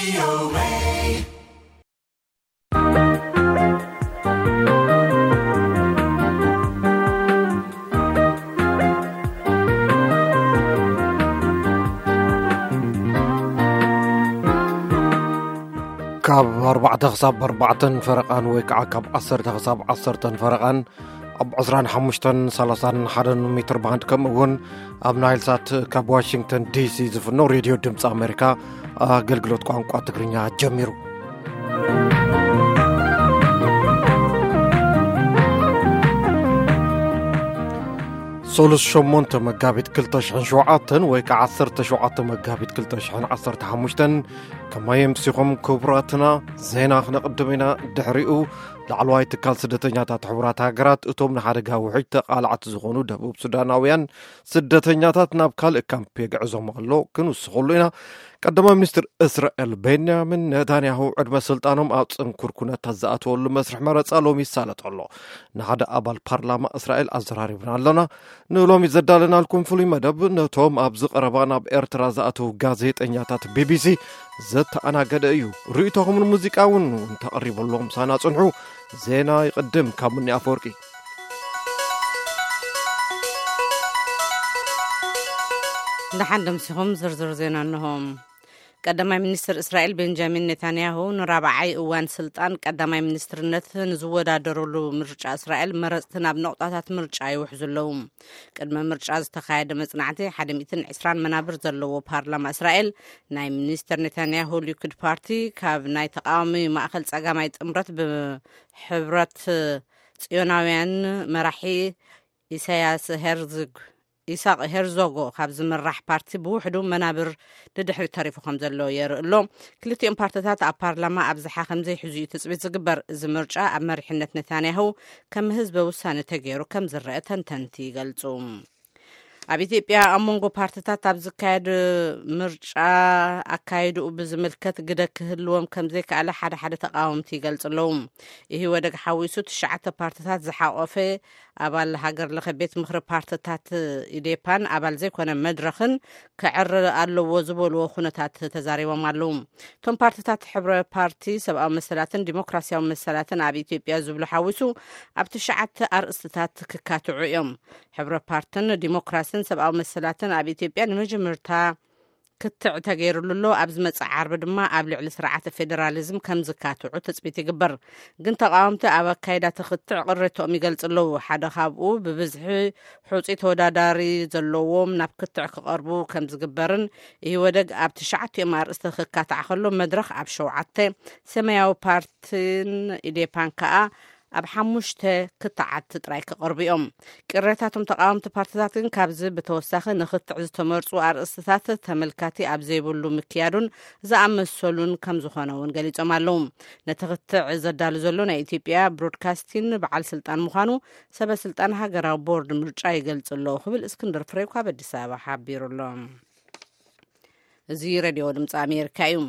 ካብ ኣርባዕተ ክሳብ ኣርባዕተን ፈረቓን ወይ ከዓ ካብ ዓሰርተ ክሳብ ዓሰርተን ፈረቓን ኣብ ዕስራን ሓሙሽተን ሰላሳን ሓደን ሜትር ባንድ፣ ከምኡ እውን ኣብ ናይል ሳት ካብ ዋሽንግተን ዲሲ ዝፍኖ ሬድዮ ድምፂ ኣሜሪካ ኣገልግሎት ቋንቋ ትግርኛ ጀሚሩ። ሶሉስ ሸሞንተ መጋቢት ክልተ ሽሕን ሸውዓተን ወይ ከዓ ዓሰርተ ሸውዓተ መጋቢት ክልተ ሽሕን ዓሰርተ ሓሙሽተን ከመይ ኣምሲኹም ክቡራትና? ዜና ክነቕድም ኢና። ድሕሪኡ ላዕለዋይ ትካል ስደተኛታት ሕቡራት ሃገራት እቶም ንሓደጋ ውሕጅ ተቓላዕቲ ዝኾኑ ደቡብ ሱዳናውያን ስደተኛታት ናብ ካልእ ካምፕ የግዕዞም ኣሎ ክንውስኸሉ ኢና። ቀዳማይ ሚኒስትር እስራኤል ቤንያሚን ኔታንያሁ ዕድመ ስልጣኖም ኣብ ጽንኩር ኩነታት ዝኣተወሉ መስርሕ መረጻ ሎሚ ይሳለጥ ኣሎ። ንሓደ ኣባል ፓርላማ እስራኤል ኣዘራሪብና ኣለና። ንሎሚ ዘዳለናልኩም ፍሉይ መደብ ነቶም ኣብዚ ቀረባ ናብ ኤርትራ ዝኣተዉ ጋዜጠኛታት ቢቢሲ ዘተኣናገደ እዩ። ርእይቶኹምን ሙዚቃ እውን እንተቕሪበሎም ሳና ጽንሑ። ዜና ይቕድም ካብ ሙኒ ኣፈወርቂ። ደሓን ደምሲኹም ዝርዝር ዜና እንሆ። ቀዳማይ ሚኒስትር እስራኤል ቤንጃሚን ኔታንያሁ ንራብዓይ እዋን ስልጣን ቀዳማይ ሚኒስትርነት ንዝወዳደሩሉ ምርጫ እስራኤል መረጽቲ ናብ ነቑጣታት ምርጫ ይውሕዙ ኣለዉ። ቅድሚ ምርጫ ዝተኻየደ መጽናዕቲ ሓደ ሚእትን ዕስራን መናብር ዘለዎ ፓርላማ እስራኤል ናይ ሚኒስተር ኔታንያሁ ሊኩድ ፓርቲ ካብ ናይ ተቃዋሚ ማእከል ጸጋማይ ጥምረት ብሕብረት ጽዮናውያን መራሒ ኢሳያስ ሄርዝግ ኢሳቅ ሄርዞጎ ካብ ዝምራሕ ፓርቲ ብውሕዱ መናብር ንድሕሪት ተሪፉ ከም ዘሎ የርኢ ኣሎ። ክልቲኦም ፓርትታት ኣብ ፓርላማ ኣብዝሓ ከም ዘይሕዙ እዩ ትጽቢት ዝግበር። እዚ ምርጫ ኣብ መሪሕነት ኔታንያሁ ከም ህዝበ ውሳነ ተገይሩ ከም ዝረአ ተንተንቲ ይገልጹ። ኣብ ኢትዮጵያ ኣብ መንጎ ፓርትታት ኣብ ዝካየድ ምርጫ ኣካይድኡ ብዝምልከት ግደ ክህልዎም ከም ዘይከኣለ ሓደ ሓደ ተቃወምቲ ይገልጹ ኣለዉ። ኢህወደግ ሓዊሱ ትሽዓተ ፓርትታት ዝሓቆፈ ኣባል ሃገር ለኸ ቤት ምኽሪ ፓርትታት ኢዴፓን ኣባል ዘይኮነ መድረኽን ክዕረ ኣለዎ ዝበልዎ ኩነታት ተዛሪቦም ኣለዉ። እቶም ፓርትታት ሕብረ ፓርቲ ሰብኣዊ መሰላትን ዲሞክራሲያዊ መሰላትን ኣብ ኢትዮጵያ ዝብሉ ሓዊሱ ኣብ ትሽዓተ ኣርእስትታት ክካትዑ እዮም። ሕብረ ፓርትን ዲሞክራሲን ሰብኣዊ መሰላትን ኣብ ኢትዮጵያ ንመጀመርታ ክትዕ ተገይሩሉ ኣሎ። ኣብ ዝመጽእ ዓርቢ ድማ ኣብ ልዕሊ ስርዓተ ፌደራሊዝም ከም ዝካትዑ ትጽቢት ይግበር። ግን ተቃወምቲ ኣብ ኣካይዳ ትኽትዕ ቅሬቶኦም ይገልጹ ኣለዉ። ሓደ ካብኡ ብብዝሒ ሑጺ ተወዳዳሪ ዘለዎም ናብ ክትዕ ክቐርቡ ከም ዝግበርን ኢህወደግ ኣብ ትሽዓቲኦም ኣርእስቲ ክካታዕ ከሎ መድረኽ ኣብ ሸውዓተ፣ ሰማያዊ ፓርትን ኢዴፓን ከኣ ኣብ ሓሙሽተ ክትዓት ጥራይ ክቐርቡ እዮም። ቅሬታቶም ተቃወምቲ ፓርትታት ግን ካብዚ ብተወሳኺ ንክትዕ ዝተመርጹ ኣርእስትታት ተመልካቲ ኣብ ዘይብሉ ምክያዱን ዝኣመሰሉን ከም ዝኾነ እውን ገሊጾም ኣለዉ። ነቲ ክትዕ ዘዳሉ ዘሎ ናይ ኢትዮጵያ ብሮድካስቲን በዓል ስልጣን ምዃኑ ሰበ ስልጣን ሃገራዊ ቦርድ ምርጫ ይገልጽ ኣለዉ ክብል እስክንድር ፍሬው ካብ ኣዲስ ኣበባ ሓቢሩ ኣሎ። እዚ ሬድዮ ድምፂ ኣሜሪካ እዩ።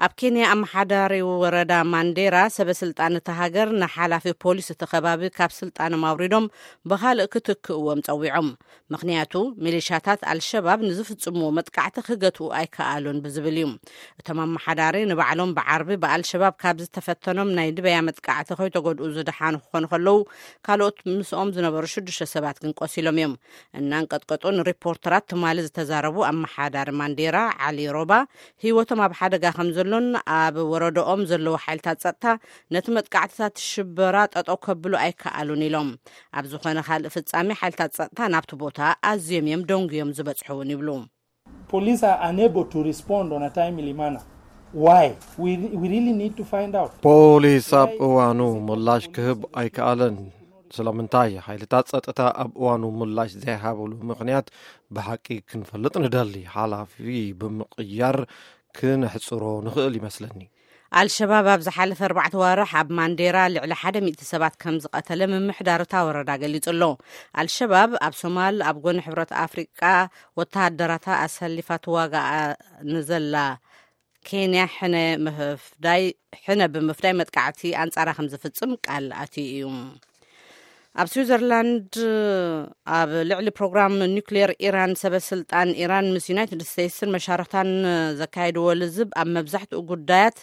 ኣብ ኬንያ ኣመሓዳሪ ወረዳ ማንዴራ ሰበ ስልጣን እታ ሃገር ንሓላፊ ፖሊስ እቲ ከባቢ ካብ ስልጣኖም ኣውሪዶም ብኻልእ ክትክእዎም ጸዊዖም። ምኽንያቱ ሚሊሻታት ኣልሸባብ ንዝፍጽምዎ መጥቃዕቲ ክገትኡ ኣይከኣሉን ብዝብል እዩ። እቶም ኣመሓዳሪ ንባዕሎም ብዓርቢ ብኣልሸባብ ካብ ዝተፈተኖም ናይ ድበያ መጥቃዕቲ ከይተጎድኡ ዝደሓኑ ክኾኑ ከለዉ ካልኦት ምስኦም ዝነበሩ ሽዱሽተ ሰባት ግን ቆሲሎም እዮም። እናንቀጥቀጡ ንሪፖርተራት ትማሊ ዝተዛረቡ ኣመሓዳሪ ማንዴራ ዓሊ ሮባ ህይወቶም ኣብ ሓደጋ ከም ዘሎን ኣብ ወረዳኦም ዘለዉ ሓይልታት ጸጥታ ነቲ መጥቃዕትታት ሽበራ ጠጠው ከብሉ ኣይከኣሉን ኢሎም። ኣብ ዝኾነ ካልእ ፍጻሜ ሓይልታት ጸጥታ ናብቲ ቦታ ኣዝዮም እዮም ደንጉዮም ዝበጽሑ እውን ይብሉ። Police are unable to respond on a timely manner. Why? We, we really need to find out. ፖሊስ ኣብ እዋኑ ምላሽ ክህብ ኣይከኣለን። ስለምንታይ ሓይልታት ጸጥታ ኣብ እዋኑ ምላሽ ዘይሃብሉ ምኽንያት ብሓቂ ክንፈልጥ ንደሊ። ሓላፊ ብምቕያር ክነሕጽሮ ንኽእል ይመስለኒ። ኣልሸባብ ኣብ ዝሓለፈ ኣርባዕተ ዋርሕ ኣብ ማንዴራ ልዕሊ ሓደ ሚእቲ ሰባት ከም ዝቐተለ ምምሕዳር እታ ወረዳ ገሊጹ ኣሎ። ኣልሸባብ ኣብ ሶማል ኣብ ጎኒ ሕብረት ኣፍሪቃ ወተሃደራታ ኣሰሊፋ ትዋጋኣ ንዘላ ኬንያ ሕነ ምፍዳይ ሕነ ብምፍዳይ መጥቃዕቲ ኣንጻራ ከም ዝፍጽም ቃል ኣትዩ እዩ። ኣብ ስዊዘርላንድ ኣብ ልዕሊ ፕሮግራም ኒውክሌር ኢራን ሰበ ስልጣን ኢራን ምስ ዩናይትድ ስቴትስን መሻርኽታን ዘካየድዎ ልዝብ ኣብ መብዛሕትኡ ጉዳያት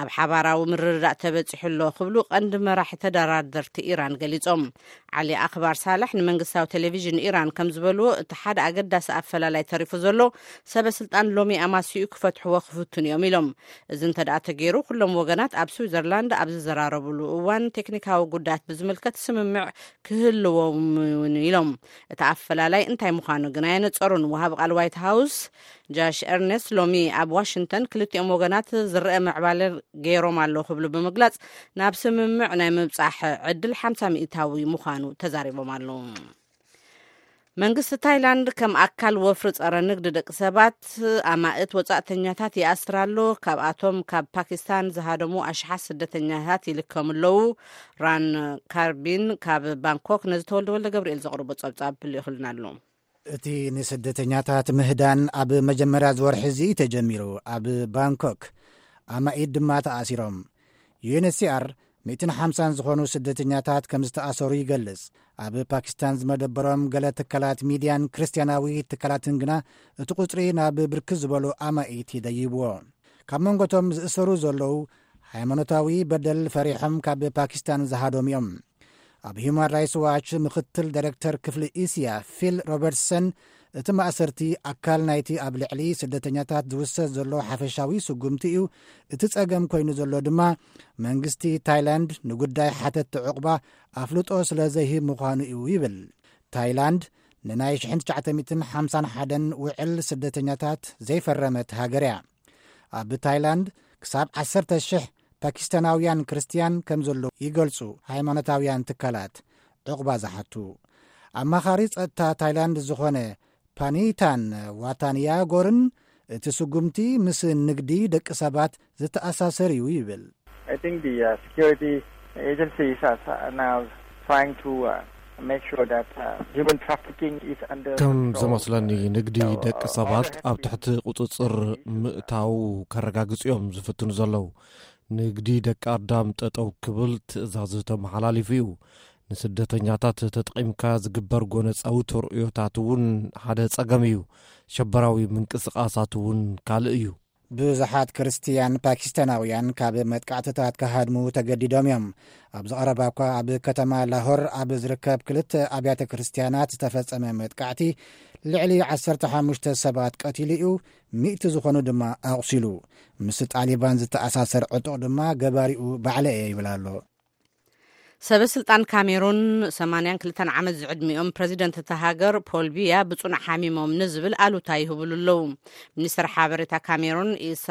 ኣብ ሓባራዊ ምርድዳእ ተበጺሑ ኣሎ ክብሉ ቀንዲ መራሒ ተደራደርቲ ኢራን ገሊጾም። ዓሊ ኣኽባር ሳላሕ ንመንግስታዊ ቴሌቪዥን ኢራን ከም ዝበልዎ፣ እቲ ሓደ ኣገዳሲ ኣፈላላይ ተሪፉ ዘሎ ሰበ ስልጣን ሎሚ ኣማሲኡ ክፈትሕዎ ክፍትኑ እዮም ኢሎም። እዚ እንተ ደኣ ተገይሩ፣ ኩሎም ወገናት ኣብ ስዊዘርላንድ ኣብ ዝዘራረብሉ እዋን ቴክኒካዊ ጉዳያት ብዝምልከት ስምምዕ ክህልዎም እውን ኢሎም። እቲ ኣፈላላይ እንታይ ምዃኑ ግን ኣየነጸሩን። ወሃቢ ቃል ዋይት ሃውስ ጃሽ ኤርነስት ሎሚ ኣብ ዋሽንግተን ክልቲኦም ወገናት ዝረአ ምዕባለ ገይሮም ኣለዉ ክብሉ ብምግላጽ፣ ናብ ስምምዕ ናይ ምብጻሕ ዕድል ሓምሳ ሚእታዊ ምዃኑ ተዛሪቦም ኣለዉ። መንግስቲ ታይላንድ ከም ኣካል ወፍሪ ጸረ ንግዲ ደቂ ሰባት ኣማእት ወጻእተኛታት ይኣስር ኣሎ። ካብኣቶም ካብ ፓኪስታን ዝሃደሙ ኣሽሓት ስደተኛታት ይልከሙ ኣለዉ። ራን ካርቢን ካብ ባንኮክ ነዚ ተወልደ ወልደ ገብርኤል ዘቕርቦ ጸብጻብ ልኢኹልና ኣሎ። እቲ ንስደተኛታት ምህዳን ኣብ መጀመርያ ዝወርሒ እዚ ተጀሚሩ ኣብ ባንኮክ ኣማኢት ድማ ተኣሲሮም። ዩኤንኤችሲኣር ሚእትን ሓምሳን ዝኾኑ ስደተኛታት ከም ዝተኣሰሩ ይገልጽ። ኣብ ፓኪስታን ዝመደበሮም ገለ ትካላት ሚድያን ክርስትያናዊ ትካላትን ግና እቲ ቁጽሪ ናብ ብርክት ዝበሉ ኣማኢት ይደይብዎ። ካብ መንጎቶም ዝእሰሩ ዘለዉ ሃይማኖታዊ በደል ፈሪሖም ካብ ፓኪስታን ዝሃዶም እዮም። ኣብ ሂዩማን ራይትስ ዋች ምኽትል ዳይሬክተር ክፍሊ እስያ ፊል ሮበርትሰን፣ እቲ ማእሰርቲ ኣካል ናይቲ ኣብ ልዕሊ ስደተኛታት ዝውሰድ ዘሎ ሓፈሻዊ ስጉምቲ እዩ። እቲ ጸገም ኮይኑ ዘሎ ድማ መንግስቲ ታይላንድ ንጉዳይ ሓተትቲ ዕቑባ ኣፍልጦ ስለ ዘይህብ ምዃኑ እዩ ይብል። ታይላንድ ንናይ ሽሕን ትሽዓተ ሚእትን ሓምሳን ሓደን ውዕል ስደተኛታት ዘይፈረመት ሃገር እያ። ኣብ ታይላንድ ክሳብ ዓሰርተ ሽሕ ፓኪስታናውያን ክርስትያን ከም ዘለዉ ይገልጹ ሃይማኖታውያን ትካላት ዕቑባ ዝሓቱ። ኣማኻሪ ጸጥታ ታይላንድ ዝኾነ ፓኒታን ዋታንያጎርን እቲ ስጉምቲ ምስ ንግዲ ደቂ ሰባት ዝተኣሳሰር እዩ ይብል። I think the uh, security agencies are now trying to uh, make sure that uh, human trafficking is under ከም control. ዝመስለኒ፣ ንግዲ ደቂ ሰባት ኣብ ትሕቲ ቁጽጽር ምእታው ከረጋግጹ እዮም ዝፍትኑ ዘለዉ። ንግዲ ደቂ ኣዳም ጠጠው ክብል ትእዛዝ ተመሓላሊፉ እዩ። ንስደተኛታት ተጠቒምካ ዝግበር ጎነጻዊ ተርእዮታት እውን ሓደ ጸገም እዩ። ሸበራዊ ምንቅስቓሳት እውን ካልእ እዩ። ብዙሓት ክርስትያን ፓኪስታናውያን ካብ መጥቃዕትታት ክሃድሙ ተገዲዶም እዮም። ኣብ ዝቐረባ እኳ ኣብ ከተማ ላሆር ኣብ ዝርከብ ክልተ ኣብያተ ክርስትያናት ዝተፈጸመ መጥቃዕቲ ልዕሊ ዓሰርተ ሓሙሽተ ሰባት ቀቲሉ እዩ፣ ሚእቲ ዝኾኑ ድማ ኣቑሲሉ። ምስ ጣሊባን ዝተኣሳሰር ዕጡቕ ድማ ገባሪኡ ባዕለ እየ ይብል ኣሎ። ሰበ ስልጣን ካሜሩን፣ ሰማንያን ክልተን ዓመት ዝዕድሚኦም ፕረዚደንት እታ ሃገር ፖል ቢያ ብጽኑዕ ሓሚሞም ንዝብል ኣሉታ ይህብሉ ኣለዉ። ሚኒስትር ሓበሬታ ካሜሩን ኢሳ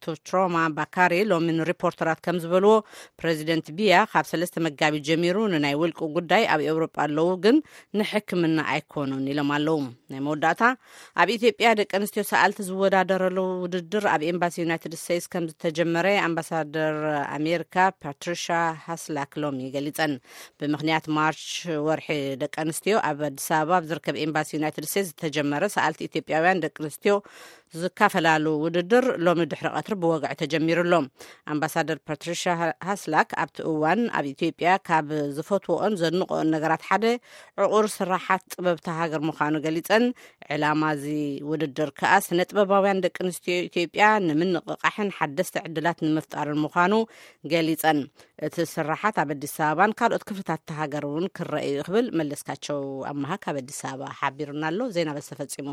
ቱትሮማ ባካሪ ሎሚ ንሪፖርተራት ከም ዝበልዎ፣ ፕረዚደንት ቢያ ካብ ሰለስተ መጋቢት ጀሚሩ ንናይ ውልቂ ጉዳይ ኣብ ኤውሮጳ ኣለዉ፣ ግን ንሕክምና ኣይኮኑን ኢሎም ኣለዉ። ናይ መወዳእታ፣ ኣብ ኢትዮጵያ ደቂ ኣንስትዮ ሰኣልቲ ዝወዳደረሉ ውድድር ኣብ ኤምባሲ ዩናይትድ ስቴትስ ከም ዝተጀመረ ኣምባሳደር ኣሜሪካ ፓትሪሻ ሃስላክ ሎሚ ገሊጸን። ብምኽንያት ማርች ወርሒ ደቂ ኣንስትዮ ኣብ ኣዲስ ኣበባ ኣብ ዝርከብ ኤምባሲ ዩናይትድ ስቴትስ ዝተጀመረ ሰኣልቲ ኢትዮጵያውያን ደቂ ኣንስትዮ ዝካፈላሉ ውድድር ሎሚ ድሕሪ ቀትሪ ብወግዒ ተጀሚሩ ኣሎ። ኣምባሳደር ፓትሪሻ ሃስላክ ኣብቲ እዋን ኣብ ኢትዮጵያ ካብ ዝፈትወኦን ዘድንቆኦን ነገራት ሓደ ዕቑር ስራሓት ጥበብቲ ሃገር ምዃኑ ገሊጸን፣ ዕላማ እዚ ውድድር ከኣ ስነ ጥበባውያን ደቂ ኣንስትዮ ኢትዮጵያ ንምንቕቓሕን ሓደስቲ ዕድላት ንምፍጣርን ምዃኑ ገሊጸን፣ እቲ ስራሓት ኣብ ኣዲስ ኣበባን ካልኦት ክፍልታት እታ ሃገር እውን ክረአ እዩ ክብል መለስካቸው ኣመሃ ካብ ኣዲስ ኣበባ ሓቢሩና ኣሎ። ዜና በዚ ተፈጺሙ።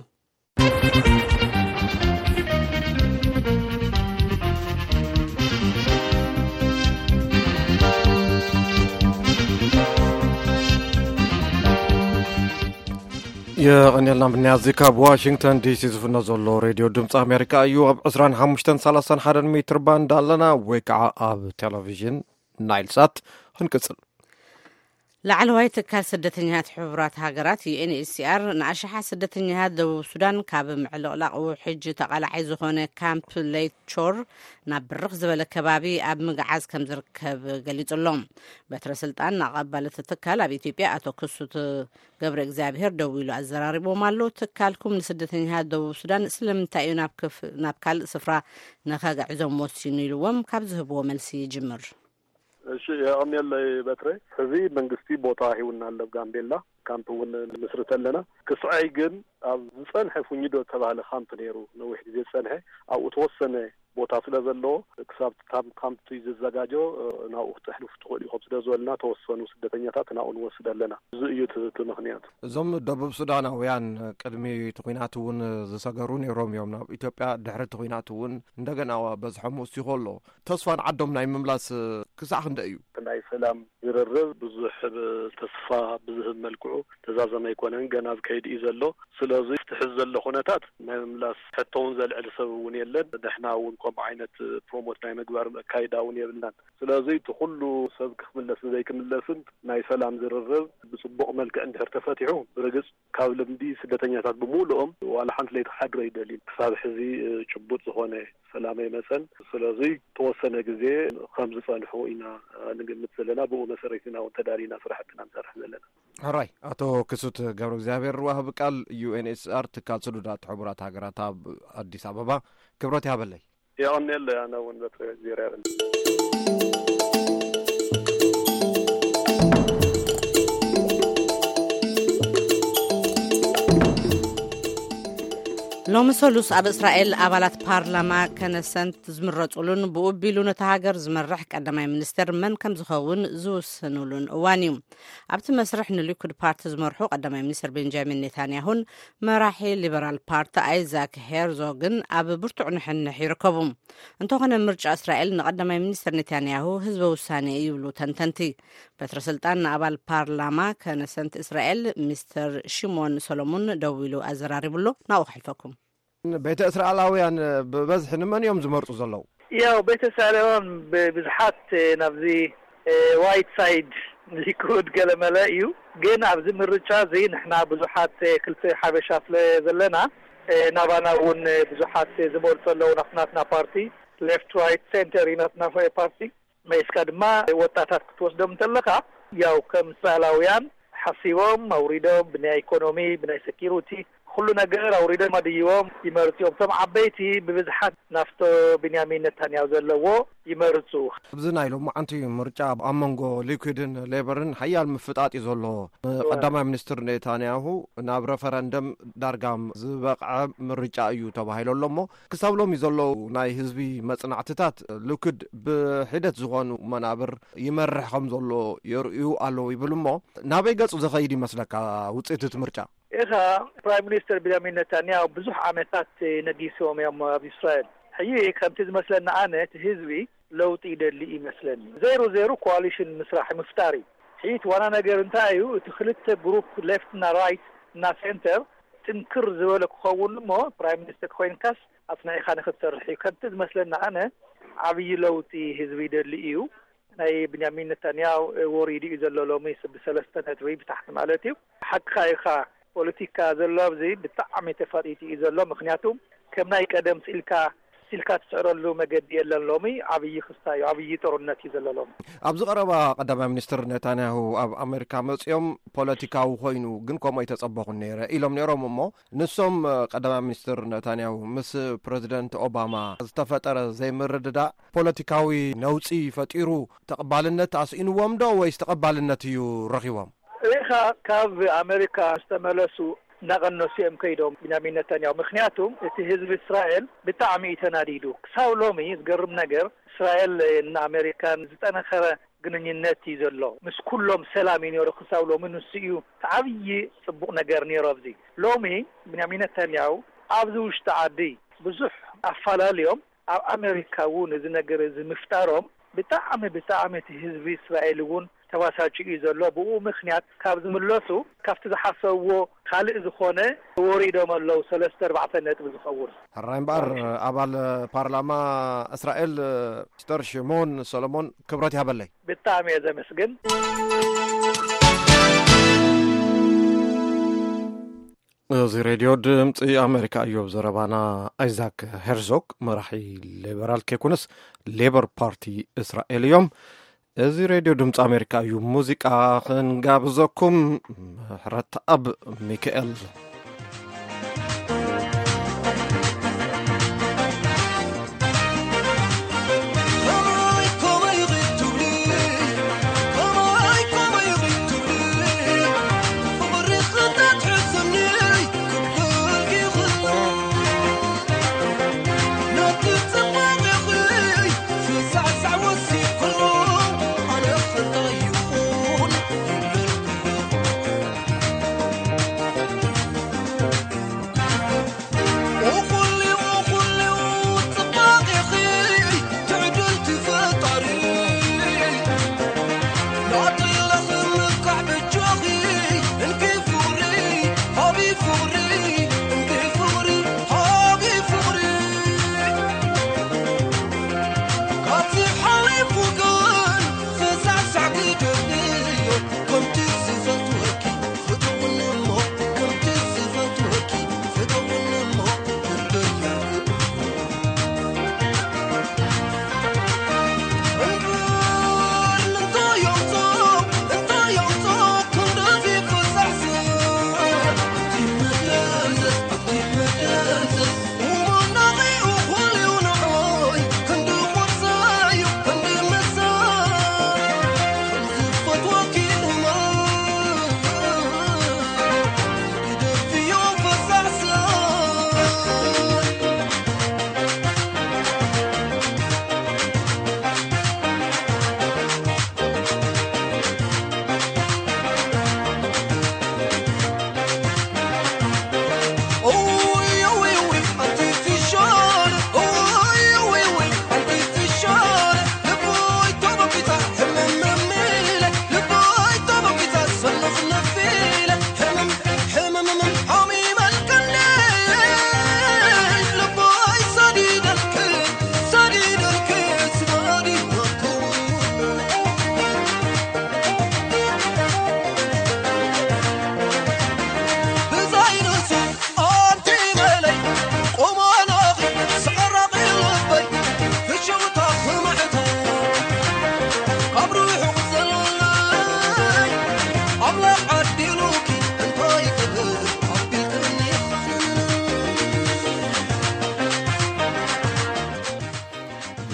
የቐንየልና ምንያዚ ካብ ዋሽንግተን ዲሲ ዝፍኖ ዘሎ ሬድዮ ድምፂ ኣሜሪካ እዩ። ኣብ ዕስራን ሓሙሽተን ሰላሳን ሓደን ሜትር ባንድ ኣለና ወይ ከዓ ኣብ ቴሌቪዥን ናይል ሳት። ክንቅፅል። ላዕለዋይ ትካል ስደተኛታት ሕቡራት ሃገራት ዩ ኤን ኤች ሲ ኣር ንኣሽሓት ስደተኛታት ደቡብ ሱዳን ካብ ምዕልቕላቕ ውሕጅ ተቓላዓይ ዝኾነ ካምፕ ሌይት ሾር ናብ ብርኽ ዝበለ ከባቢ ኣብ ምግዓዝ ከም ዝርከብ ገሊጹ ኣሎ። በትረ ስልጣን ንኣቐባል እቲ ትካል ኣብ ኢትዮጵያ ኣቶ ክሱት ገብረ እግዚኣብሔር ደዊሉ ኣዘራሪቦም ኣሎ። ትካልኩም ንስደተኛታት ደቡብ ሱዳን ስለምንታይ እዩ ናብ ክፍ-፣ ናብ ካልእ ስፍራ ንኸግዕዞም ወሲኑ ኢልዎም ካብ ዝህብዎ መልሲ ይጅምር። የቐንየለይ በትረ። ሕዚ መንግስቲ ቦታ ሂቡና ኣሎ ኣብ ጋምቤላ። ካምፕ እውን ንምስርት ኣለና። ክስዐይ ግን ኣብ ዝጸንሐ ፉኝዶ ዝተባህለ ካምፕ ነይሩ፣ ነዊሕ ግዜ ዝጸንሐ፣ ኣብኡ ተወሰነ ቦታ ስለ ዘለዎ፣ ክሳብ ታም ካምፕ ዝዘጋጆ ናብኡ ክትሕልፉ ትኽእሉ ኢኹም ስለ ዝበሉና፣ ተወሰኑ ስደተኛታት ናብኡ ንወስድ ኣለና። እዚ እዩ እቲ እቲ ምኽንያት። እዞም ደቡብ ሱዳናውያን ቅድሚ እቲ ኲናት እውን ዝሰገሩ ነይሮም እዮም። ናብ ኢትዮጵያ ድሕሪ እቲ ኲናት እውን እንደገና በዝሖም ወሲኹ ኣሎ። ተስፋ ንዓዶም ናይ ምምላስ ክሳዕ ክንደይ እዩ? ናይ ሰላም ዝርርብ ብዙሕ ተስፋ ብዝህብ መልክዑ ተዛዘመ ኣይኮነን፣ ገና ኣብ ከይዲ እዩ ዘሎ። ስለዚ እቲ ሕዚ ዘሎ ኩነታት ናይ ምምላስ ሕቶ እውን ዘልዕል ሰብ እውን የለን። ንሕና እውን ከምኡ ዓይነት ፕሮሞት ናይ ምግባር ኣካይዳ እውን የብልናን። ስለዚ እቲ ኩሉ ሰብ ክምለስን ዘይክምለስን ናይ ሰላም ዝርርብ ብጽቡቕ መልክዕ እንድሕር ተፈቲሑ፣ ብርግጽ ካብ ልምዲ ስደተኛታት ብምሉኦም ዋላ ሓንቲ ለይቲ ክሓድሩ ኣይደልዩን። ክሳብ ሕዚ ጭቡጥ ዝኾነ ሰላም ኣይመጸን። ስለዚ ተወሰነ ግዜ ከም ዝጸንሑ ኢና ንግምት ዘለና። ብኡ መሰረት ኢና እውን ተዳሊና ስራሕትና ንሰርሕ ዘለና። ሕራይ፣ ኣቶ ክሱት ገብረ እግዚኣብሔር፣ ዋህቢ ቃል ዩ ኤን ኤች ሲ ኣር፣ ትካል ስዱዳት ሕቡራት ሃገራት ኣብ ኣዲስ ኣበባ፣ ክብረት ይሃበለይ። የቐንየለይ። ኣነ እውን በትሪ ዜራ ይብል። ሎሚ ሰሉስ ኣብ እስራኤል ኣባላት ፓርላማ ከነሰንት ዝምረጹሉን ብኡ ኣቢሉ ነታ ሃገር ዝመርሕ ቀዳማይ ሚኒስተር መን ከም ዝኸውን ዝውስኑሉን እዋን እዩ። ኣብቲ መስርሕ ንሊኩድ ፓርቲ ዝመርሑ ቀዳማይ ሚኒስተር ቤንጃሚን ኔታንያሁን መራሒ ሊበራል ፓርቲ ኣይዛክ ሄርዞግን ኣብ ብርቱዕ ንሕንሕ ይርከቡ። እንተኾነ ምርጫ እስራኤል ንቀዳማይ ሚኒስተር ኔታንያሁ ህዝበ ውሳኔ እዩ ይብሉ ተንተንቲ። በትረ ስልጣን ንኣባል ፓርላማ ከነሰንት እስራኤል ሚስተር ሽሞን ሰሎሙን ደዊሉ ኣዘራሪቡሎ። ናብኡ ከሕልፈኩም። ቤተ እስራኤላውያን ብበዝሒ ንመን እዮም ዝመርጹ ዘለዉ? ያው ቤተ እስራኤላውያን ብብዝሓት ናብዚ ዋይት ሳይድ ሊኩድ ገለመለ እዩ። ግን ኣብዚ ምርጫ እዚ ንሕና ብዙሓት ክልተ ሓበሻ ስለ ዘለና ናባና እውን ብዙሓት ዝመርጹ ኣለዉ። ናት ናትና ፓርቲ ሌፍት ራይት ሴንተር እዩ ናትና ፓርቲ። መይስካ ድማ ወጣታት ክትወስዶም እንተለኻ ያው ከም እስራኤላውያን ሓሲቦም ኣውሪዶም ብናይ ኢኮኖሚ ብናይ ሴኪሪቲ ኩሉ ነገር ኣውሪዶም ኣድይቦም ይመርጽ እዮም። እቶም ዓበይቲ ብብዝሓት ናፍቶ ቢንያሚን ነታንያሁ ዘለዎ ይመርጹ። ኣብዚ ናይ ሎማዓንቲ ምርጫ ኣብ መንጎ ሊኩድን ሌበርን ሓያል ምፍጣጥ እዩ ዘሎ። ቀዳማይ ሚኒስትር ኔታንያሁ ናብ ረፈረንደም ዳርጋ ዝበቕዐ ምርጫ እዩ ተባሂሉ ኣሎ እሞ ክሳብ ሎሚ ዘለዉ ናይ ህዝቢ መጽናዕትታት ሊኩድ ብሒደት ዝኾኑ መናብር ይመርሕ ከም ዘሎ የርእዩ ኣለዉ ይብል እሞ ናበይ ገጹ ዝኸይድ ይመስለካ ውጽኢት እቲ ምርጫ? ኢኻ ፕራይም ሚኒስተር ቢንያሚን ነታንያሁ ብዙሕ ዓመታት ነጊስዎም እዮም ኣብ እስራኤል። ሕጂ ከምቲ ዝመስለኒ ኣነ እቲ ህዝቢ ለውጢ ይደሊ ይመስለኒ። ዜሮ ዜሮ ኮዋሊሽን ምስራሕ ምፍጣር እዩ። ሕጂ እቲ ዋና ነገር እንታይ እዩ? እቲ ክልተ ግሩፕ ሌፍት እና ራይት እና ሴንተር ጥንክር ዝበለ ክኸውን እሞ ፕራይም ሚኒስተር ኮይንካስ ኣጽኒዕካ ንክትሰርሕ እዩ። ከምቲ ዝመስለኒ ኣነ ዓብዪ ለውጢ ህዝቢ ይደሊ እዩ። ናይ ብንያሚን ነታንያሁ ወሪዱ እዩ ዘሎ ሎሚ ብሰለስተ ነጥቢ ብታሕቲ ማለት እዩ። ሓቅኻ ኢኻ። ፖለቲካ ዘሎ ኣብዚ ብጣዕሚ ተፋጢጡ እዩ ዘሎ። ምክንያቱ ከም ናይ ቀደም ስኢልካ ስኢልካ ትስዕረሉ መገዲ የለን። ሎሚ ዓብዪ ክስታ እዩ፣ ዓብዪ ጦርነት እዩ ዘሎ ሎሚ። ኣብዚ ቀረባ ቀዳማይ ሚኒስትር ኔታንያሁ ኣብ ኣሜሪካ መፅኦም ፖለቲካዊ ኮይኑ ግን ከምኡ ኣይተፀበኹን ነይረ ኢሎም ነይሮም እሞ ንሶም ቀዳማይ ሚኒስትር ኔታንያሁ ምስ ፕሬዚደንት ኦባማ ዝተፈጠረ ዘይምርድዳእ ፖለቲካዊ ነውፂ ፈጢሩ ተቐባልነት ኣስኢንዎም ዶ ወይስ ተቐባልነት እዩ ረኺቦም? ሪኢኻ ካብ ኣሜሪካ ዝተመለሱ እናቐነሱ እዮም ከይዶም ቢንያሚን ነታንያሁ። ምክንያቱም እቲ ህዝቢ እስራኤል ብጣዕሚ እዩ ተናዲዱ። ክሳብ ሎሚ ዝገርም ነገር እስራኤል ንኣሜሪካን ዝጠነኸረ ግንኙነት እዩ ዘሎ። ምስ ኩሎም ሰላም እዩ ነይሩ ክሳብ ሎሚ። ንሱ እዩ እቲ ዓብዪ ፅቡቕ ነገር ነይሩ። ኣብዚ ሎሚ ቢንያሚን ነታንያሁ ኣብዚ ውሽጢ ዓዲ ብዙሕ ኣፋላልዮም ኣብ ኣሜሪካ እውን እዚ ነገር እዚ ምፍጣሮም ብጣዕሚ ብጣዕሚ እቲ ህዝቢ እስራኤል እውን ተባሳጭ እዩ ዘሎ። ብኡ ምክንያት ካብ ዝምለሱ ካብቲ ዝሓሰብዎ ካልእ ዝኾነ ወሪዶም ኣለዉ። ሰለስተ ኣርባዕተ ነጥቢ ዝኸውን ሕራይ እምበኣር ኣባል ፓርላማ እስራኤል ሚስተር ሽሞን ሰሎሞን ክብረት ይሃበለይ። ብጣዕሚ እየ ዘመስግን። እዚ ሬድዮ ድምፂ ኣሜሪካ እዩ። ኣብ ዘረባና ኣይዛክ ሄርዞግ መራሒ ሌበራል ከይኮነስ ሌበር ፓርቲ እስራኤል እዮም። እዚ ሬድዮ ድምፂ ኣሜሪካ እዩ። ሙዚቃ ክንጋብዘኩም። ምሕረት ኣብ ሚካኤል።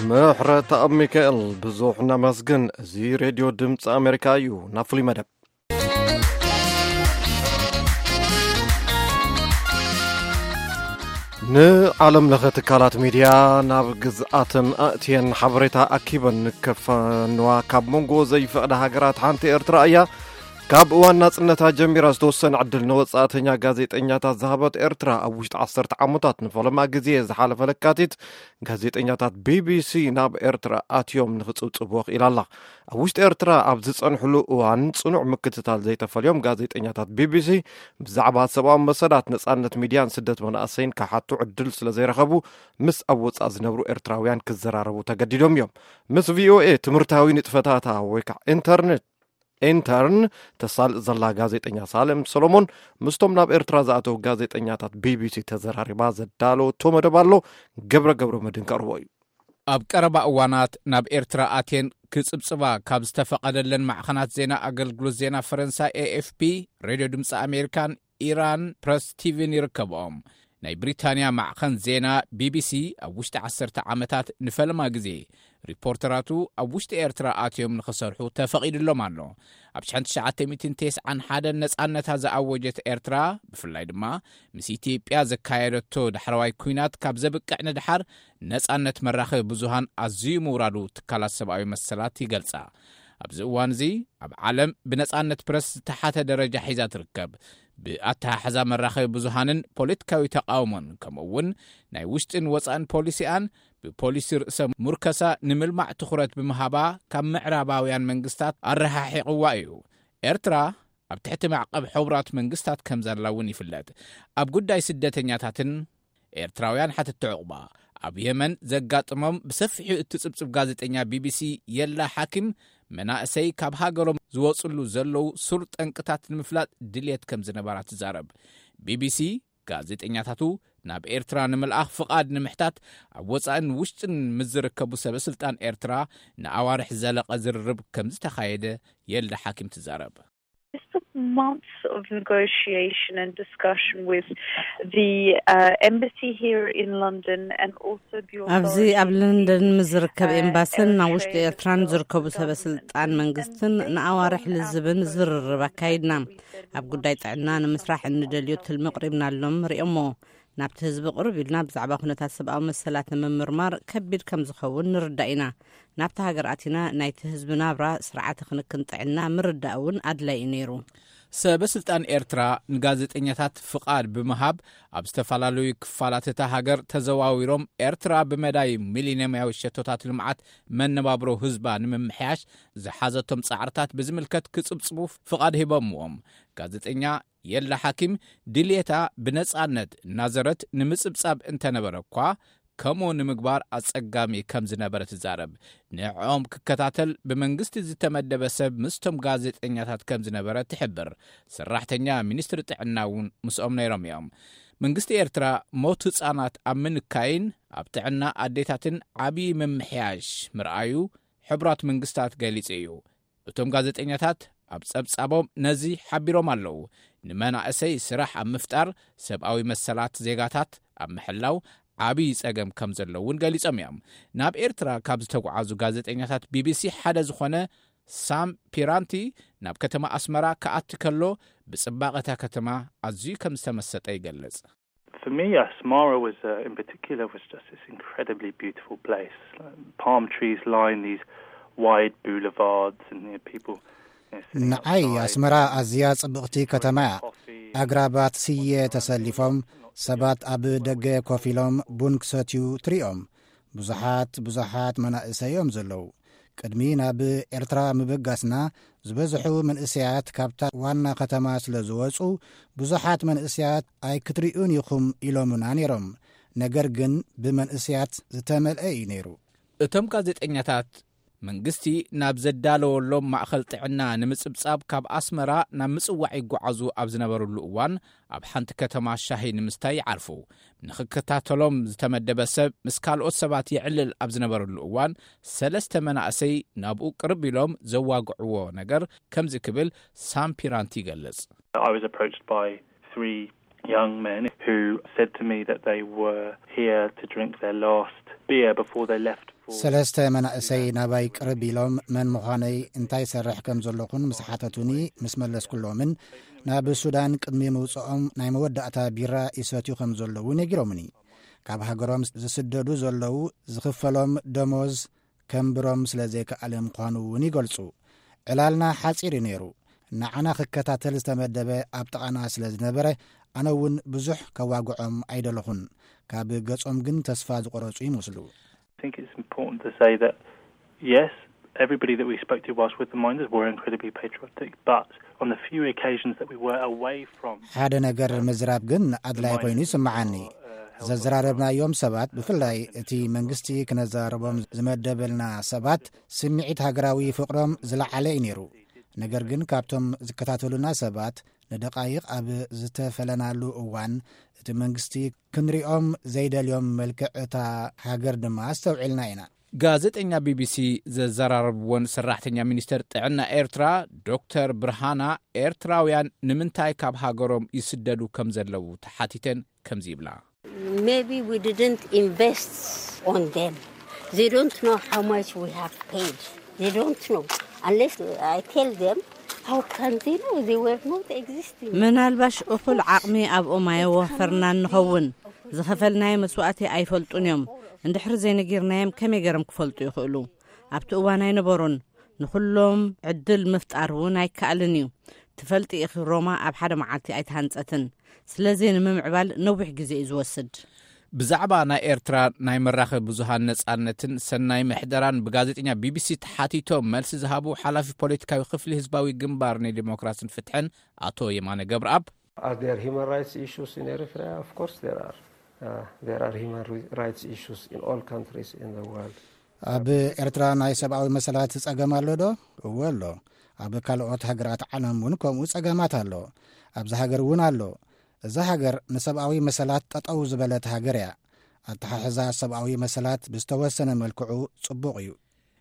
ምሕረተኣብ ሚካኤል ብዙሕ ነመስግን። እዚ ሬድዮ ድምፂ ኣሜሪካ እዩ። ናብ ፍሉይ መደብ። ንዓለም ለኸ ትካላት ሚድያ ናብ ግዝኣተን ኣእትየን ሓበሬታ ኣኪበን ከፋንዋ ካብ መንጎ ዘይፈቕዳ ሃገራት ሓንቲ ኤርትራ እያ። ካብ እዋን ናጽነታ ጀሚራ ዝተወሰነ ዕድል ንወጻእተኛ ጋዜጠኛታት ዝሃበት ኤርትራ፣ ኣብ ውሽጢ ዓሰርተ ዓመታት፣ ንፈለማ ግዜ ዝሓለፈ ለካቲት፣ ጋዜጠኛታት ቢቢሲ ናብ ኤርትራ ኣትዮም ንኽጽብጽብዎ ክኢላ ኣላ። ኣብ ውሽጢ ኤርትራ ኣብ ዝጸንሕሉ እዋን ጽኑዕ ምክትታል ዘይተፈልዮም ጋዜጠኛታት ቢቢሲ ብዛዕባ ሰብኣዊ መሰላት፣ ነጻነት ሚድያን ስደት መናእሰይን ክሓቱ ዕድል ስለ ዘይረኸቡ፣ ምስ ኣብ ወጻኢ ዝነብሩ ኤርትራውያን ክዘራረቡ ተገዲዶም እዮም። ምስ ቪኦኤ ትምህርታዊ ንጥፈታታ ወይ ከዓ ኢንተርኔት ኢንተርን ተሳልጥ ዘላ ጋዜጠኛ ሳሌም ሰሎሞን ምስቶም ናብ ኤርትራ ዝኣተዉ ጋዜጠኛታት ቢቢሲ ተዘራሪባ ዘዳለወቶ መደብ ኣሎ። ገብረ ገብረ መድህን ከቕርቦ እዩ። ኣብ ቀረባ እዋናት ናብ ኤርትራ ኣትየን ክጽብጽባ ካብ ዝተፈቐደለን ማዕኸናት ዜና ኣገልግሎት ዜና ፈረንሳ ኤኤፍፒ፣ ሬድዮ ድምፂ ኣሜሪካን ኢራን ፕረስ ቲቪን ይርከብኦም። ናይ ብሪታንያ ማዕኸን ዜና ቢቢሲ ኣብ ውሽጢ ዓሰርተ ዓመታት ንፈለማ ግዜ ሪፖርተራቱ ኣብ ውሽጢ ኤርትራ ኣትዮም ንኽሰርሑ ተፈቒዱሎም ኣሎ። ኣብ ሽሕን ትሽዓተ ሚእትን ተስዓን ሓደን ነጻነታ ዝኣወጀት ኤርትራ፣ ብፍላይ ድማ ምስ ኢትዮጵያ ዘካየደቶ ዳሕረዋይ ኲናት ካብ ዘብቅዕ ንድሓር፣ ነጻነት መራኸቢ ብዙሃን ኣዝዩ ምውራዱ ትካላት ሰብኣዊ መሰላት ይገልጻ። ኣብዚ እዋን እዚ ኣብ ዓለም ብነጻነት ፕረስ ዝተሓተ ደረጃ ሒዛ ትርከብ። ብኣተሓሕዛ መራኸቢ ብዙሃንን ፖለቲካዊ ተቃውሞን፣ ከምኡ እውን ናይ ውሽጥን ወጻእን ፖሊሲኣን፣ ብፖሊሲ ርእሰ ሙርከሳ ንምልማዕ ትኹረት ብምሃባ ካብ ምዕራባውያን መንግስታት ኣረሓሒቕዋ እዩ። ኤርትራ ኣብ ትሕቲ ማዕቀብ ሕቡራት መንግስታት ከም ዘላ እውን ይፍለጥ። ኣብ ጉዳይ ስደተኛታትን ኤርትራውያን ሓተቲ ዕቑባ፣ ኣብ የመን ዘጋጥሞም ብሰፊሑ እትጽብጽብ ጋዜጠኛ ቢቢሲ የላ ሓኪም፣ መናእሰይ ካብ ሃገሮም ዝወጽሉ ዘለዉ ሱር ጠንቅታት ንምፍላጥ ድልየት ከም ዝነበራ ትዛረብ። ቢቢሲ ጋዜጠኛታቱ ናብ ኤርትራ ንምልኣኽ ፍቓድ ንምሕታት ኣብ ወጻእን ውሽጥን ምስ ዝርከቡ ሰበ ስልጣን ኤርትራ ንኣዋርሕ ዝዘለቐ ዝርርብ ከም ዝተኻየደ የልዳ ሓኪም ትዛረብ። This took months of negotiation and discussion with the uh, embassy here in London and also the ኣብዚ ኣብ authorities ለንደን ምስ ዝርከብ in ኤምባስን ኣብ ውሽጢ Eritrea ኤርትራን ዝርከቡ ሰበ ስልጣን መንግስትን ንኣዋርሕ ልዝብን ዝርርብ ኣካይድና። ኣብ ጉዳይ ጥዕና ንምስራሕ እንደልዮ ትልሚ ኣቕሪብናሎም፣ ሪኦሞ። ናብቲ ህዝቢ ቅርብ ኢልና ብዛዕባ ኩነታት ሰብኣዊ መሰላት ንምምርማር ከቢድ ከም ዝኸውን ንርዳእ ኢና። ናብቲ ሃገር ኣቲና ናይቲ ህዝቢ ናብራ፣ ስርዓተ ክንክን ጥዕና ምርዳእ እውን ኣድላይ እዩ ነይሩ። ሰበ ስልጣን ኤርትራ ንጋዜጠኛታት ፍቓድ ብምሃብ ኣብ ዝተፈላለዩ ክፋላት እታ ሃገር ተዘዋዊሮም ኤርትራ ብመዳይ ሚሊንየማዊ ሸቶታት ልምዓት መነባብሮ ህዝባ ንምምሕያሽ ዝሓዘቶም ጻዕርታት ብዝምልከት ክጽብጽቡ ፍቓድ ሂቦምዎም። ጋዜጠኛ የላ ሓኪም ድልየታ ብነጻነት እናዘረት ንምጽብጻብ እንተነበረ እኳ፣ ከምኡ ንምግባር ኣጸጋሚ ከም ዝነበረ ትዛረብ። ንዕኦም ክከታተል ብመንግስቲ ዝተመደበ ሰብ ምስቶም ጋዜጠኛታት ከም ዝነበረ ትሕብር። ሰራሕተኛ ሚኒስትሪ ጥዕና እውን ምስኦም ነይሮም እዮም። መንግስቲ ኤርትራ ሞት ህጻናት ኣብ ምንካይን ኣብ ጥዕና ኣዴታትን ዓቢ ምምሕያሽ ምርኣዩ ሕቡራት መንግስታት ገሊጹ እዩ። እቶም ጋዜጠኛታት ኣብ ጸብጻቦም ነዚ ሓቢሮም ኣለዉ። ንመናእሰይ ስራሕ ኣብ ምፍጣር፣ ሰብኣዊ መሰላት ዜጋታት ኣብ ምሕላው ዓቢ ጸገም ከም ዘሎ እውን ገሊጾም እዮም። ናብ ኤርትራ ካብ ዝተጓዓዙ ጋዜጠኛታት ቢቢሲ ሓደ ዝኾነ ሳም ፒራንቲ ናብ ከተማ ኣስመራ ክኣቲ ከሎ ብጽባቐ እታ ከተማ ኣዝዩ ከም ዝተመሰጠ ይገልጽ። For me, Asmara was uh, in particular was just this incredibly beautiful place. Palm trees line these wide boulevards, and you know, people you know, sitting ንዓይ outside ኣስመራ ኣዝያ ጽብቕቲ ከተማ እያ። Coffee. ኣግራባት ስየ ተሰሊፎም፣ ሰባት ኣብ ደገ ኮፍ ኢሎም ቡን ክሰትዩ ትሪኦም። ብዙሓት ብዙሓት መናእሰይ እዮም ዘለዉ። ቅድሚ ናብ ኤርትራ ምብጋስና ዝበዝሑ መንእሰያት ካብታ ዋና ከተማ ስለ ዝወጹ፣ ብዙሓት መንእሰያት ኣይክትሪኡን ኢኹም ኢሎምና ነይሮም። ነገር ግን ብመንእሰያት ዝተመልአ እዩ ነይሩ። እቶም ጋዜጠኛታት መንግስቲ ናብ ዘዳለወሎም ማእኸል ጥዕና ንምጽብጻብ ካብ ኣስመራ ናብ ምጽዋዕ ይጓዓዙ ኣብ ዝነበሩሉ እዋን፣ ኣብ ሓንቲ ከተማ ሻሂ ንምስታይ ይዓርፉ። ንኽከታተሎም ዝተመደበ ሰብ ምስ ካልኦት ሰባት የዕልል ኣብ ዝነበረሉ እዋን፣ ሰለስተ መናእሰይ ናብኡ ቅርብ ኢሎም ዘዋግዕዎ ነገር ከምዚ ክብል ሳም ፒራንቲ ይገልጽ። I was approached by three young men who said to me that they were here to drink their last beer before they left ሰለስተ መናእሰይ ናባይ ቅርብ ኢሎም መን ምዃነይ እንታይ ሰርሕ ከም ዘለኹን ምስ ሓተቱኒ ምስ መለስኩሎምን ናብ ሱዳን ቅድሚ ምውፅኦም ናይ መወዳእታ ቢራ ይሰትዩ ከም ዘለዉ ነጊሮምኒ። ካብ ሃገሮም ዝስደዱ ዘለዉ ዝኽፈሎም ደሞዝ ከንብሮም ስለ ዘይከኣለ ምዃኑ እውን ይገልጹ። ዕላልና ሓጺር እዩ ነይሩ። ንዓና ክከታተል ዝተመደበ ኣብ ጥቓና ስለ ዝነበረ ኣነ እውን ብዙሕ ከዋግዖም ኣይደለኹን። ካብ ገጾም ግን ተስፋ ዝቆረጹ ይመስሉ። I think it's important to say that, yes, everybody that we spoke to whilst with the miners were incredibly patriotic, but on the few occasions that we were away from ሓደ ነገር ምዝራብ ግን ኣድላይ ኮይኑ ይስምዓኒ። ዘዘራረብናዮም ሰባት፣ ብፍላይ እቲ መንግስቲ ክነዘራርቦም ዝመደበልና ሰባት፣ ስምዒት ሃገራዊ ፍቕሮም ዝለዓለ እዩ ነይሩ። ነገር ግን ካብቶም ዝከታተሉና ሰባት ንደቓይቕ ኣብ ዝተፈለናሉ እዋን፣ እቲ መንግስቲ ክንሪኦም ዘይደልዮም መልክዕ እታ ሃገር ድማ ኣስተውዒልና ኢና። ጋዜጠኛ ቢቢሲ ዘዘራረብወን ሰራሕተኛ ሚኒስተር ጥዕና ኤርትራ ዶክተር ብርሃና፣ ኤርትራውያን ንምንታይ ካብ ሃገሮም ይስደዱ ከም ዘለዉ ተሓቲተን ከምዚ ይብላ። Maybe we didn't invest on them. They don't know how much we have paid. They don't know. Unless I tell them, how can they know? They were not existing. ምናልባሽ እኹል ዓቕሚ ኣብኦም ኣየወፈርናን ንኸውን። ዝኸፈልናዮ መስዋእቲ ኣይፈልጡን እዮም። እንድሕሪ ዘይነጊርናዮም ከመይ ገይሮም ክፈልጡ ይኽእሉ? ኣብቲ እዋን ኣይነበሩን። ንኹሎም ዕድል ምፍጣር እውን ኣይከኣልን እዩ። ትፈልጢ ኢኺ፣ ሮማ ኣብ ሓደ መዓልቲ ኣይተሃንጸትን። ስለዚ ንምምዕባል ነዊሕ ግዜ እዩ ዝወስድ። ብዛዕባ ናይ ኤርትራ ናይ መራኸቢ ብዙሃን ነጻነትን ሰናይ ምሕደራን ብጋዜጠኛ ቢቢሲ ተሓቲቶም መልሲ ዝሃቡ ሓላፊ ፖለቲካዊ ክፍሊ ህዝባዊ ግንባር ንዲሞክራስን ፍትሕን ኣቶ የማነ ገብረኣብ፣ Are there human rights issues in Eritrea? Of course there are. Uh, there are human ri- rights issues in all countries in the world. ኣብ ኤርትራ ናይ ሰብኣዊ መሰላት ጸገም ኣሎ ዶ? እወ ኣሎ። ኣብ ካልኦት ሃገራት ዓለም እውን ከምኡ ጸገማት ኣሎ። ኣብዚ ሃገር እውን ኣሎ። እዛ ሃገር ንሰብኣዊ መሰላት ጠጠው ዝበለት ሃገር እያ። ኣተሓሕዛ ሰብኣዊ መሰላት ብዝተወሰነ መልክዑ ጽቡቕ እዩ።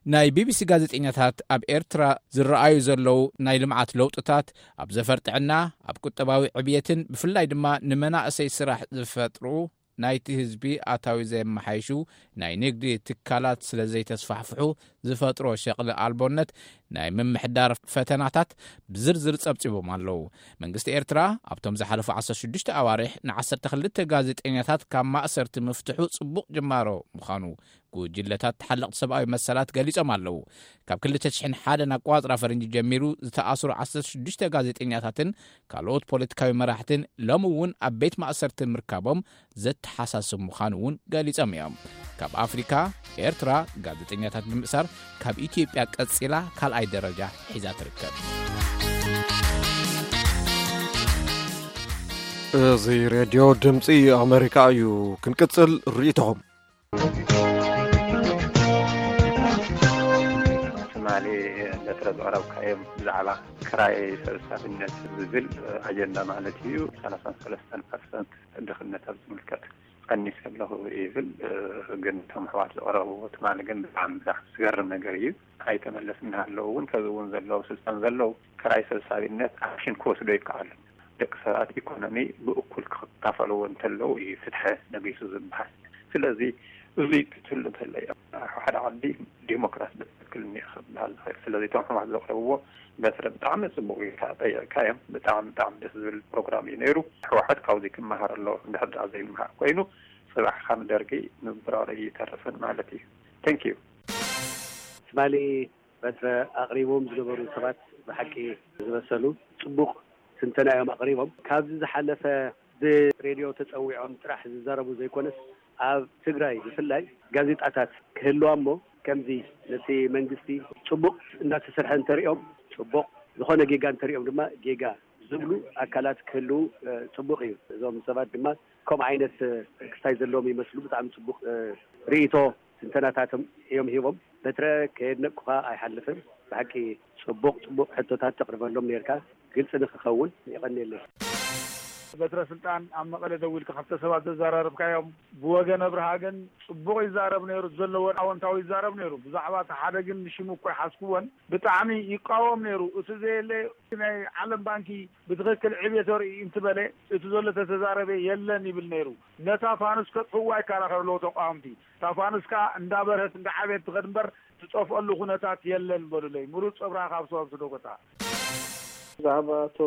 ናይ ቢቢሲ ጋዜጠኛታት ኣብ ኤርትራ ዝረኣዩ ዘለዉ ናይ ልምዓት ለውጥታት፣ ኣብ ዘፈር ጥዕና፣ ኣብ ቁጠባዊ ዕብየትን ብፍላይ ድማ ንመናእሰይ ስራሕ ዝፈጥሩ፣ ናይቲ ህዝቢ ኣታዊ ዘየመሓይሹ ናይ ንግዲ ትካላት ስለ ዘይተስፋሕፍሑ ዝፈጥሮ ሸቕሊ ኣልቦነት፣ ናይ ምምሕዳር ፈተናታት ብዝርዝር ጸብጺቦም ኣለዉ። መንግስቲ ኤርትራ ኣብቶም ዝሓለፉ ዓሰርተ ሽዱሽተ ኣዋርሕ ንዓሰርተ ክልተ ጋዜጠኛታት ካብ ማእሰርቲ ምፍትሑ ጽቡቕ ጅማሮ ምዃኑ ጉጅለታት ተሓለቕቲ ሰብኣዊ መሰላት ገሊጾም ኣለዉ። ካብ ክልተ ሽሕን ሓደን ኣቋጽራ ፈረንጂ ጀሚሩ ዝተኣስሩ ዓሰርተ ሽዱሽተ ጋዜጠኛታትን ካልኦት ፖለቲካዊ መራሕትን ሎሚ እውን ኣብ ቤት ማእሰርቲ ምርካቦም ዘተሓሳስብ ምዃኑ እውን ገሊጾም እዮም። ካብ ኣፍሪካ፣ ኤርትራ ጋዜጠኛታት ብምእሳር ካብ ኢትዮጵያ ቀጺላ ካልኣይ ደረጃ ሒዛ ትርከብ። እዚ ሬድዮ ድምፂ ኣሜሪካ እዩ። ክንቅጽል ርእይቶኹም። ትማሊ በትረ ዘቕረብካዮም ብዛዕባ ክራይ ሰብሳቢነት ዝብል ኣጀንዳ ማለት እዩ። ሰላሳን ሰለስተን ፐርሰንት ድኽነት ኣብ ዝምልከት ቀኒሰ ኣለኹ ይብል። ግን እቶም ኣሕዋት ዘቕረብዎ ትማሊ ግን ብጣዕሚ ብጣዕሚ ዝገርም ነገር እዩ። ኣይተመለስ እናሃለዉ እውን ከዚ እውን ዘለዉ ስልጣን ዘለዉ ክራይ ሰብሳቢነት ኣክሽን ክወስዶ ይከኣሉ። ደቂ ሰባት ኢኮኖሚ ብእኩል ክካፈለዎ እንተለዉ እዩ ፍትሐ ነጊሱ ዝበሃል። ስለዚ እዙይ ክትህሉ እንተሎ እዩ ሓደ ዓዲ ዲሞክራሲ ብትክክል እኒኦ ክበሃል ዝኽእል። ስለዚ እቶም ሕማት ዘቕረብዎ በስረ ብጣዕሚ ጽቡቕ ጌርካ ጠይቕካ እዮም። ብጣዕሚ ብጣዕሚ ደስ ዝብል ፕሮግራም እዩ ነይሩ። ሕወሓት ካብዚ ክመሃር ኣለዎ። እንድሕር ደኣ ዘይመሃር ኮይኑ ጽባሕ ከም ደርጊ ምብራሩ ይተርፍን ማለት እዩ። Thank you። ትማሊ በትረ ኣቕሪቦም ዝነበሩ ሰባት ብሓቂ ዝመሰሉ ጽቡቕ ትንተና እዮም ኣቕሪቦም። ካብዚ ዝሓለፈ ብሬድዮ ተጸዊዖም ጥራሕ ዝዛረቡ ዘይኮነስ ኣብ ትግራይ ብፍላይ ጋዜጣታት ክህልዋ እሞ ከምዚ ነቲ መንግስቲ ጽቡቕ እናተሰርሐ እንተሪኦም ጽቡቕ፣ ዝኾነ ጌጋ እንተሪኦም ድማ ጌጋ ዝብሉ ኣካላት ክህልዉ ጽቡቕ እዩ። እዞም ሰባት ድማ ከምኡ ዓይነት ክስታይ ዘለዎም ይመስሉ። ብጣዕሚ ጽቡቕ ርእይቶ ትንተናታቶም እዮም ሂቦም። በትረ ከየድነቅኩኻ ኣይሓልፍን። ብሓቂ ጽቡቕ ጽቡቕ ሕቶታት ተቕርበሎም ነርካ፣ ግልጺ ንክኸውን። የቐንየለይ። በትረ ስልጣን ኣብ መቐለ ደዊልካ ክልተ ሰባት ዘዘራረብካዮም፣ ብወገን ኣብርሃ ግን ጽቡቕ ይዛረብ ነይሩ፣ ዘለዎን ኣወንታዊ ይዛረብ ነይሩ። ብዛዕባ እቲ ሓደ ግን ንሽሙ እኮ ይሓዝክዎን ብጣዕሚ ይቃወም ነይሩ። እቲ ዘየለ ናይ ዓለም ባንኪ ብትኽክል ዕብየት ርኢ እንትበለ እቲ ዘሎ ተተዛረበ የለን ይብል ነይሩ። ነታ ፋኑስ ከጥፍዋ ይከራኸሩ ኣለዉ ተቃወምቲ። እታ ፋኑስ ከኣ እንዳበርሀት እንዳዓብየት ትኸድ እምበር ትጠፍኣሉ ኩነታት የለን በሉለይ። ምሩጽ ኣብርሃ ካብ ሰዋብ ስደጎታ። ብዛዕባ ኣቶ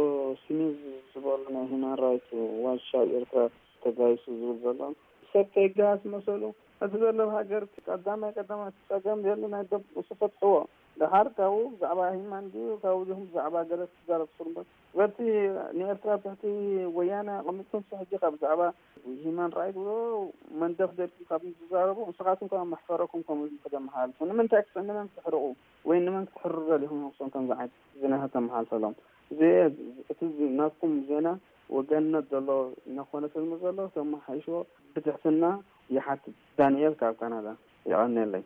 ስሚዝ ዝበሉ ናይ ሂማን ራይት ዋች ኣብ ኤርትራ ተጋይሱ ዝብል ዘሎ ሰብ ተይጋስ መሰሉ እቲ ዘሎ ሃገር ቀዳማይ ቀዳማይ እቲ ጸገም ዘሎ ናይ ደብ እሱ ፈትሕዎ። ደሓር ካብኡ ብዛዕባ ሂማን ድዩ ካብኡ ዲኹም ብዛዕባ ገለ ትዛረብ ትኽእሉ እምበር በቲ ንኤርትራ ትሕቲ ወያነ ኣቐሚጥኩም እስከ ሕጂ ካብ ብዛዕባ ሂማን ራይት ብሎ መንደፍ ደልኩም ካብ ትዛረቡ ንስኻትኩም ከም መሕፈረኩም ከምኡ ኢልኩም ከተመሓላልፉ ንምንታይ ክስ- ንመን ክትሕርቑ ወይ ንመን ክትሕርሩ ደሊኹም ንሶም ከምዚ ዓይነት ዜናታት ተመሓልፈሎም እዚ እቲ ናትኩም ዜና ወገንነት ዘሎ እናኾነ ስለ ዘሎ ተመሓይሽዎ ብትሕትና ይሓትት። ዳንኤል ካብ ካናዳ። የቐንየለይ።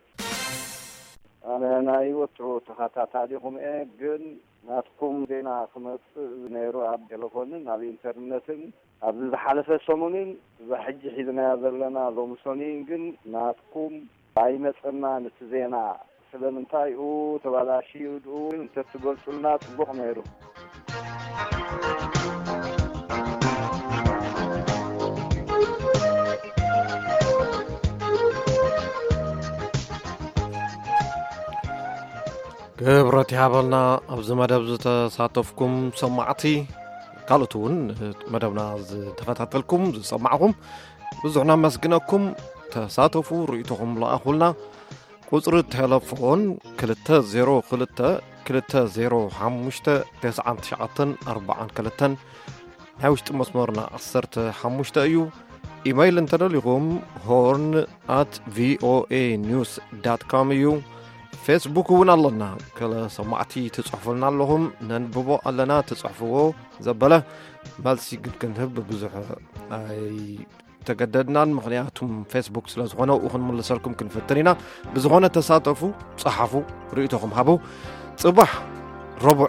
ኣነ ናይ ወትሩ ተኸታታሊኹም እየ፣ ግን ናትኩም ዜና ክመጽእ ነይሩ ኣብ ቴሌፎንን ኣብ ኢንተርነትን ኣብዚ ዝሓለፈ ሰሙንን እዛ ሕጂ ሒዝናያ ዘለና ሎምሶኒን ግን ናትኩም ኣይመጸናን እቲ ዜና። ስለምንታይ ኡ ተባላሽዩ ድኡ እንተትገልጹልና ጽቡቕ ነይሩ። ክብረት ይሃበልና ኣብዚ መደብ ዝተሳተፍኩም ሰማዕቲ፣ ካልኦት እውን መደብና ዝተኸታተልኩም ዝሰማዕኹም ብዙሕ ነመስግነኩም። ተሳተፉ፣ ርእይቶኹም ለኣኹልና። ቁጽሪ ቴሌፎን ክልተ ዜሮ ክልተ ክልተ ዜሮ ሓሙሽተ ተስዓን ትሽዓተን ኣርባዓን ክልተን ናይ ውሽጢ መስመርና ዓሰርተ ሓሙሽተ እዩ። ኢመይል እንተደሊኹም ሆርን ኣት ቪኦኤ ኒውስ ዳት ኮም እዩ። ፌስቡክ እውን ኣለና። ገለ ሰማዕቲ ትጽሕፉልና ኣለኹም፣ ነንብቦ ኣለና ትጽሕፍዎ ዘበለ መልሲ ግን ክንህብ ብዙሕ ኣይተገደድናን፣ ምኽንያቱም ፌስቡክ ስለ ዝኾነ ኣብኡ ክንምልሰልኩም ክንፍትን ኢና። ብዝኾነ ተሳተፉ፣ ጸሓፉ፣ ርእይቶኹም ሃቡ። ጽባሕ ረቡዕ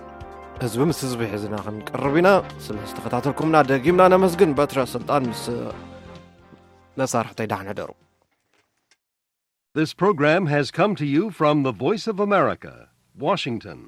ህዝቢ ምስ ህዝቢ ሒዝና ክንቀርብ ኢና። ስለ ዝተኸታተልኩምና ደጊምና ነመስግን። በትረ ስልጣን ምስ መሳርሕተይ ደሓን ሕደሩ። This program has come to you from the Voice of America, Washington.